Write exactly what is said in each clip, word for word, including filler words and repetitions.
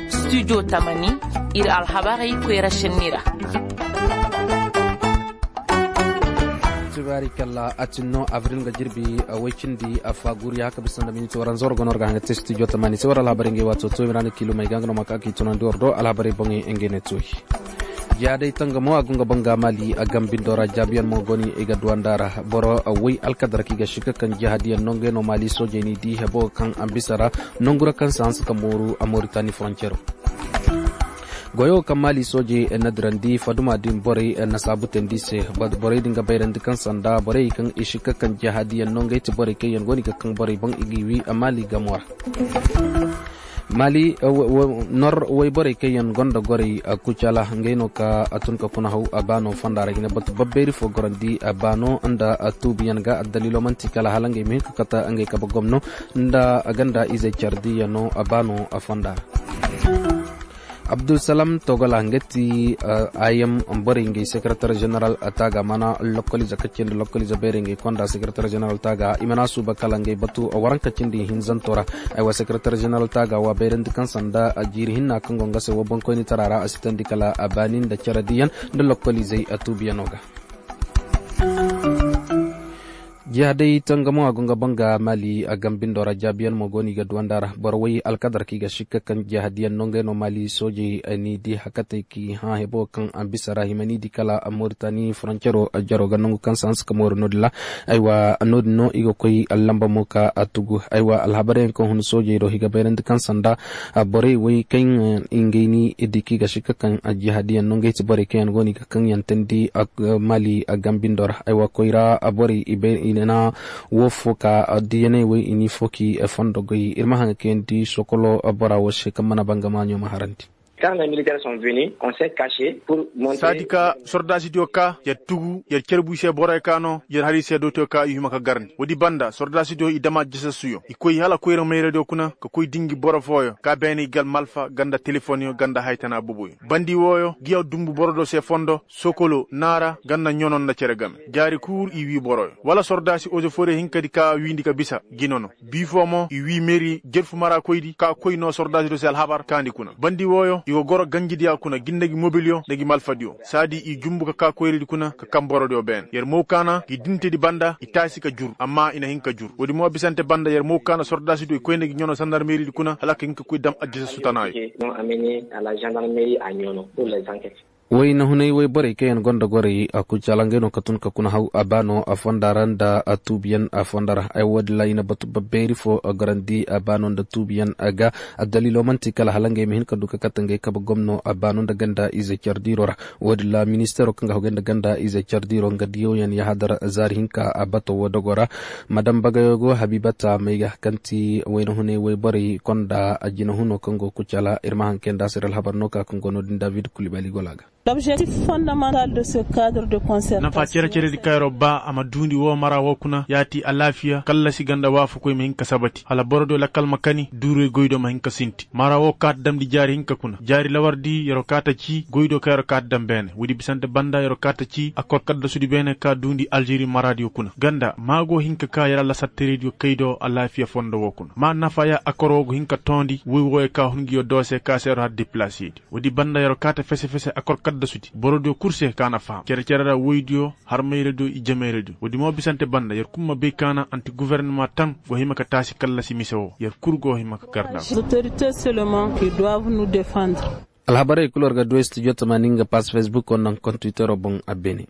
Studio tamani, ir alhabarey koyra šenni ra. Tibaari kalla a tin no abril nga jirbi, a way cindi a faaguriya ka bisa nda miniti waranza war go no war ga hanga te studio tamani se war alhabarey ngey waato tooyi ra na kiilumey ga nga no ma ka k'i tunandi war do alhabarey boŋey ngey ne tooyi. Jihaaday tangamo a go nga banga maali a gambindo ra jaabiyaŋ mo go ni i ga duwanda ra. Boro way alkadar kaŋ i ga sikka kaŋ jihaadiyaŋ no ngey no maali soojey n'i di hebo kaŋ a bisa ra nangu ra kaŋ se hanse ka mooru a moritani foroncero. Goyo kaŋ maali soojey na dirandi faduma din borey na saabutandi se. Borey din ga bayrandi kaŋ sanda borey kaŋ i sikka kaŋ jihaadiyaŋ no ngey ti borey kaŋ yaŋ go no i ga kaŋ borey boŋ i g'i wi a maali gamo ra. Maali nor wayborey kaŋ yaŋ gonda gorey kucala ngey no ka a tun ka kuna haw a baano fonda ra hina batu babbeeri fo gorandi a baano nda a tuubiyaŋ ga addaliilo man'ti kala hala ngey ma hin ka kata ngey kabe gomno nda a ganda izey cardiyano a baano a fonda ra. Abdulsalam togola nga ti, ayam borey ngey sekaratar jeneral taaga mana lokkolize kaccindi lokkolize beerey ngey konda sekaratar jeneral taaga i mana suuba kala ngey batu waranka cindi hinzanto ra. Aywa sekaratar jeneral taaga wa bayrandi kaŋ sanda jiiri hinna kaŋ go nga se wo boŋkoynitara ra a sitandi kala a baani nda caradiyaŋ nda lokkolizey a tuubiyano ga. Jihaday tangamo a go nga banga maali a gambindo ra jaabiyaŋ mo go no i ga duwanda ra boro way alkadar kaŋ i ga sikka kaŋ jihadiyaŋ no ngey no maali soojey n'i di hakatey k'i hã hebo kaŋ a bisa ra hima n'i di kala a moritani foroncero jaro ga nangu kaŋ se hanse ka mooru no-din ra. Aywa no-din no i ga koy lamba mo ka a tugu aywa alhabaryaŋ kaŋ hun soojey do i ga bayrandi kaŋ sanda borey way kaŋ ngey n'i di kaŋ i ga sikka kaŋ jihadiyaŋ no ngey ti borey kaŋ yaŋ go no i ga kaŋ yaŋ tandi maali gambindo ra aywa koyra borey i bay i na wo fo ka diyaney wey i n'i fo k'i fondo goy ir ma haŋ ga kayandi sokolo bora wo se kaŋ mana banga maaɲo ma harandi. Saadi ka sordaasidiyo ka yer tugu yer carbu i se boroyo ka no yer har i se dootiyo ka i hima ka garndi woodi banda sordaasidiyo i dama jesassuyo i koy hala koyra mayradiyo kuna ka koy dingi boro fooyo ka beene i gal malfa ganda telefonyo ganda haytana boboyo bandi wooyo ngiya dumbu borodiyo se fondo sokolo naara ganda ɲono nda cere game jaari kul i wii boroyo wala sordaasi ozeforiyo hinkadi ka wiindi ka bisa gi nono bii foo mo i wii meri jerfu maraakoydi ka koy noo sordaasidiyo se alhabar kaandi kuna bandi wooyo i go goro ganjidiya kuna gi nda gi mobilyo nda gi malfadiyo saadi i jumbu ka kaa koyridi kuna ka kam borodiyo beene yer mow kaana gi dintedi banda i taasi ka jur amma i na hin ka jur woodi mo bisante banda yer mow kaana sordaasidiyo i koy nda gi ɲono sandarmeridi kuna hala ka hin ka koy dam addisa sutanaayo. Wayna hunay wayborey kaŋ yaŋ gonda gorey a kucala ngey no ka tun ka kuna haw a baano a fonda ra nda a tuubiyaŋ a fonda ra ay woodin ra i na batu babbeeri fo a garandi a baano nda tuubiyaŋ a ga. Addaliilo man'ti kala hala ngey ma hin ka du ka kate ngey kabe gomno a baano nda ganda ize cardiiro ra. Woodin ra ministeero kaŋ ga haw gay nda ganda ize cardiiro nga diyoyaŋ yahadar zaari hinka a bato wo dogo ra. Madam bagayo go habibata may ga kaŋ ti wayna hunay wayborey konda a jina huno kaŋ go kucala ir ma haŋ kay nda a se ir alhabar no ka kaŋ go no-din david kulibali gola ga. Nafa cere-ceredi kaŋ yer'o baa a ma duundi woo mara woo kuna yaati alaafiya kallasi ganda waafakoy ma hin ka sabati hala borodiyo lakkal ma kani duuray goydiyo ma hin ka sinti mara woo kaata damndi jaari hinka kuna jaari lawardi yer'o kaata cii goydiyo kaŋ yer'o kaata dam beene woodi bisante banda yer'o kaata cii akkor kaddasudi beene ka duundi alžeri maradiyo kuna ganda maa go hin ka ka yer alasatterediyo kaydiyo alaafiya fondo woo kuna maa nafa ya akkor woo go hin ka toondi woy wooyo ka hun ngiyo doose ka se yer'o har depilasiyedi woodi banda yer'o kaata fese-fese akor kaddasudi borodiyo kul se ka na faham cere-cere ra woydiyo harmayradiyo i jamayradiyo woodi mo bisante banda yer kul ma bay ka na anti guvernama taŋ go hima ka taasi kallasi mise woo yer kul go hima ka garda. Alhabarey kul war ga du studio tamaani nga pass facebook wo naŋ kontwitero boŋ a beene.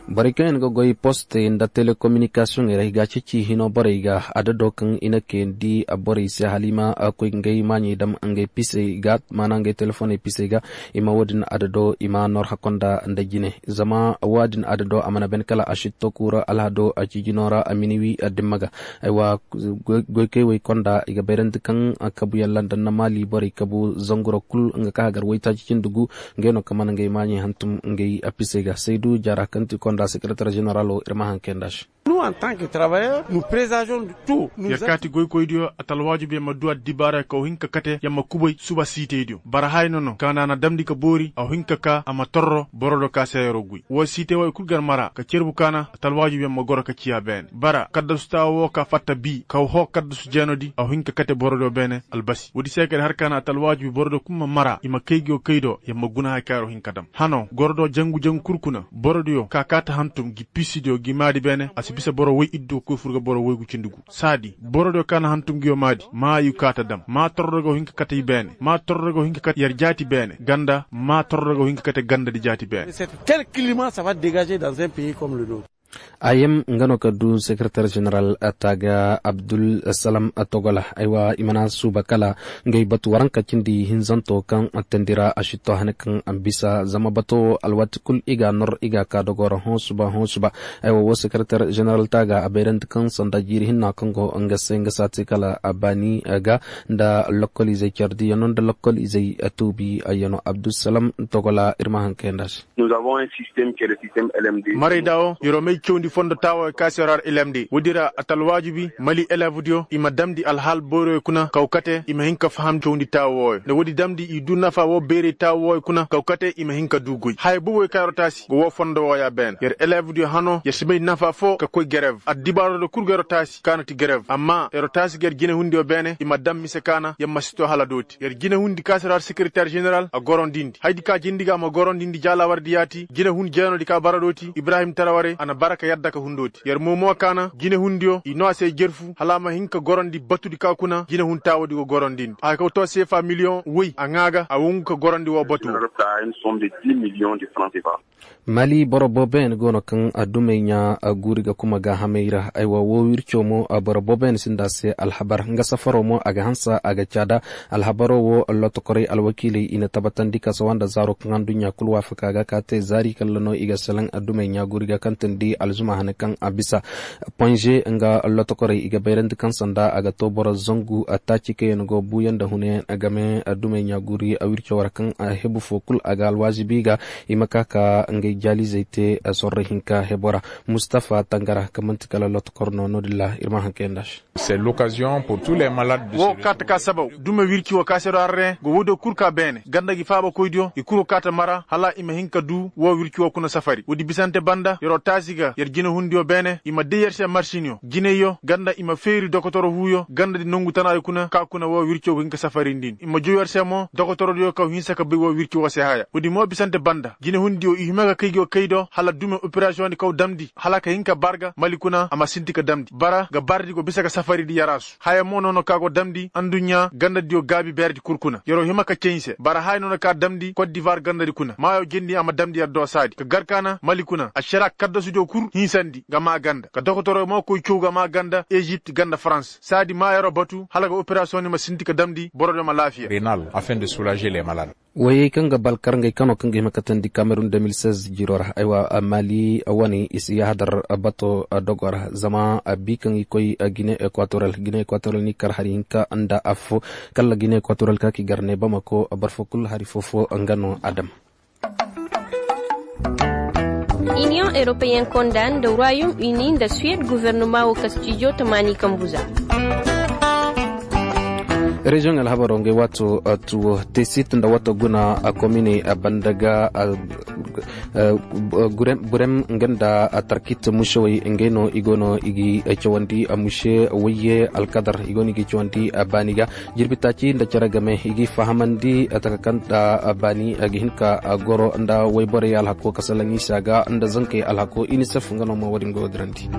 Borey kaŋ yaŋ ga goy postey nda telekominikasiyoŋey ra i ga a ceeci hino borey ga adado kaŋ i na kayandi borey se hala i ma koy ngey maaɲey dam ngey pisey ga maana ngey telefoney pisey ga. I ma woodin adado i ma nor hakko nda nda jine zama woodin adado a mana ben kala a sitto kuura alhado a ciijino ra a miniwi dimma ga. Aywa goykey woy konda i ga bayrandi kaŋ kabuyaŋ landa nda maali borey kabu zangura kul nga ka hagar woytaaci cindi gu ngey no kaŋ mana ngey maaɲey hantum ngey a pisey ga saydu jaara kaŋ ti konda. Sekereter ženeralo ir ma haŋ kay nda se. Yer kaati goykoydiyo atalwaaju be ma du addibaara kaw hin ka kate yer ma kubay suba siitaydiyo bara haya nono ka na a na damndi ka boori a hin ka kaa a ma torro borodiyo ka se yeroo goy woo siitay wooyo kul gar mara ka cerbu ka na atalwaaju be ma goro ka ciya beene bara kaddasu taawa woo ka fatta bii kaw hoo kaddasu jeenodi a hin ka kate borodiyo beene albasi woodi se ka ir har ka na atalwaaju be borodiyo kul ma mara i ma kay ngiyo kay do yer ma guna haya ka yeroo hin ka dam hanoo goro do jangu jangu kul kuna borodiyo ka kaata hantum ngi piisidiyo ngi maadi beene a si bisa boro woy iddu ka koy fur ga boro woygu cindi gu saadi borodiyo ka na hantum ngiyo maadi maa yu kaata dam maa torro go hin ka kate i beene maa torro go hin ka kate yer jaati beene ganda maa torro go hin ka kate gandadi jaati beene. Kel kilima saba degaze dans un pays comme le nôtre. Ayem nga no ka du sekereter ženeral taaga abdul salam togola aywa i mana suuba kala ngay batu waranka cindi hinzanto kaŋ tendira a shitto hane kaŋ bisa zama bato alwati kul i ga nor i ga ka dogora hõ suba hõ suba. Aywa wo sekereter ženeral taaga a bayrandi kaŋ sanda jiiri hinna kaŋ go nga se nga saati kala a baani ga nda lokol izey cardi yano nda lokol izey tuubi yano abdul salam togola ir ma hankay nda se. Maray da wo yer'o may cawndi fondo taawo ka se yer har lmd woodi ra a talwaajibi mali eleevdiyo i ma damndi alhaal boyroyo kuna kaw kate i ma hin ka faham cawndi taawo wooyo nda woodi damndi i du nafa woo bayray taawo wooyo kuna kaw kate i ma hin ka du goy haya boboyo ka yer'o taasi go woo fondo wooya beene yer eleevdiyo hanoo yer si may nafa foo ka koy gerev addibaaroo da kul go yer'o taasi ka na ti gerev amma yer'o taasi ga yer jinehundiyo beene i ma dam mise ka na yer ma si too hala dooti yer jinehundi ka se yer har sekiriteer ženeral a gorondindi hayadi ka jindi ga a ma gorondindi jaalaawardi yaati jinehun jeenodi ka bara dooti ibrahim tarawarey a na bara ka yadda ka hun dooti yer mo mo ka na jinehundiyo i noo a se jerfu hala a ma hin ka gorondi batudi ka kuna jinehun taawodi go gorondindi a ka too seefa miliyoŋ woy a ŋaa ga a wongu ka gorondi woo batu. Mali boro booboyaŋ go no kaŋ dumey ɲaa guuri ga kuma gaahamey ra aywa woo wirco mo boro booboyaŋ sinda a se alhabar nga safaro mo a ga hanse a ga caada alhabaro woo lotokorey alwakiiley i na tabatandi kasawa nda zaaro kaŋ adduɲɲa kul waafaka ga ka te zaari kalla no i ga selaŋ dumey ɲaa guuri ga kaŋ teendi alzuma hane kaŋ a bisa ponze nga lotokorey i ga bayrandi kaŋ sanda a ga too boro zangu taaci kaŋ yaŋ go buuyaŋ nda huneyaŋ game dumey ɲaa guuri wirco ra kaŋ hebu foo kul a ga alwaazibi ga i ma ka ka ngey jaalizey te sorro hinka hebo ra mustafa tangara kaŋ man'ti kala lotokor no no-din ra ir ma haŋ kayandi a se. Woo kaati ka sabaw dume wirci woo ka se do arre go woodiyo kul ka beene ganda gi faabakoydiyo i kul go kaati mara hala i ma hin ka du woo wirci woo kuna safari woodi bisante banda yer'o taasi ga yer jinehundiyo beene i ma day yer se marsiniyo jineyyo ganda i ma feeri dokotoro huuyo gandadi nongu tanaayo kuna ka kuna woo wirci woo go hin ka safarindi ni i ma jow yer se mo dokotorodiyo kaw hinsa ka bay woo wirci woo se haya woodi mo bisante banda jinehundiyo i hima ka kay gi woo kay do hala dume operasiyoŋdi kaw damndi hala ka hin ka barga mali kuna a ma sinti ka damndi bara ga bardi go bisa ga safaridi yaraasu haya mo nono ka go damndi adduɲɲa gandadiyo gaabi beeredi kul kuna yer'o hima ka cay se bara haya nono ka damndi kot divuwar gandadi kuna maayo jendi a ma damndi yer doosaadi ka gar ka na mali kuna ašara kaddasudiyo kul hinsandi ga maa ganda ka dokotoro mo koy caw ga maa ganda ezipt ganda farans saadi maa yer'o batu hala ga operasiyoŋdi ma sinti ka damndi borodiyo ma laafiya. Woyey kaŋ ga balkar ngey kano kaŋ ga hima katandi kamerun deux mille seize jiroo ra aywa mali wane i si yahadar bato dogo ra zama bii kaŋ i koy gine ekwatorel gine ekwatorel ni kar hari hinka nda affo kala gine ekwatorel ka ki gar ne bamako boro fo kul hari foo-foo nga no a dam. Iniyoŋ eropeyen konda nda royom uni nda suwed guvernoma woo kastijo tamaani kambu za. Reziyoŋ alhabaro ngey waato tuwo tesit nda wato guna kominey banda ga burem nga nda tarkit musewey ngey no i go no i gi cawandi muse wayye alkadar i go no i gi cawandi baani ga jirbi taaci nda cere game i gi fahamandi taka kaŋ nda baani ga hin ka goro nda wayborey alhako kasalaŋ isa ga nda zankey alhako inisef nga no ma wo-din go dirandi.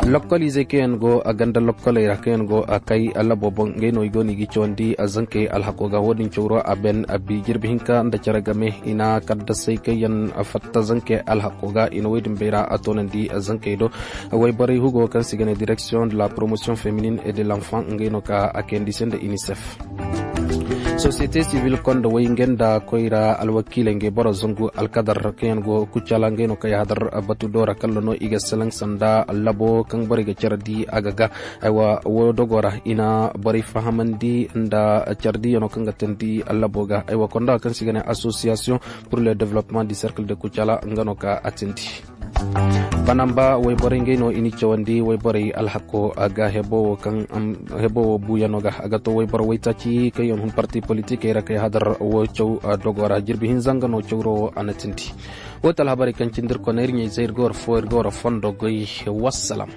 Lokkol izey kaŋ yaŋ go ganda lokkoley ra kaŋ yaŋ go kay labo boŋ ngey no i go no i ga cawandi zankey alhako ga wo-din cawro a ben abi jirbi hinka nda cere game i na kaddasey kaŋ yaŋ fatta zankey alhako ga i na wo-din bay ra a toonandi zankey do wayborey hugo kaŋ se i ga ne direction de la promotion féminine et de l'enfant ngey no ka a kayandi se nda inisef. Sosiyete sibil konda way ngey nda koyra alwakiiley ngey boro zangu alkadar kaŋ yaŋ go kucala ngey no kaŋ yahadar batu doora kalla no i ga selaŋ sanda labo kaŋ borey ga care di a ga ga aywa woo dogo ra i na borey fahamandi nda care di yaŋo kaŋ ga teendi labo ga aywa konda kaŋ se i ga ne association pour le développement du cercle de kucala nga no ka a teendi. Banamba wayborey ngey no i n'i cawandi wayborey alhako ga hebo wo buuyano ga a ga to wayboro waytaaci kaŋ yaŋ hun parti politikey ra kay hadar wo caw dogo ra jirbi hinza nga no cawro wo a na tindi. Wo ti alhabarey kaŋ cindi ir kona ir ɲayzey ir ga war fo ir ga war fondo goy. Wassalam.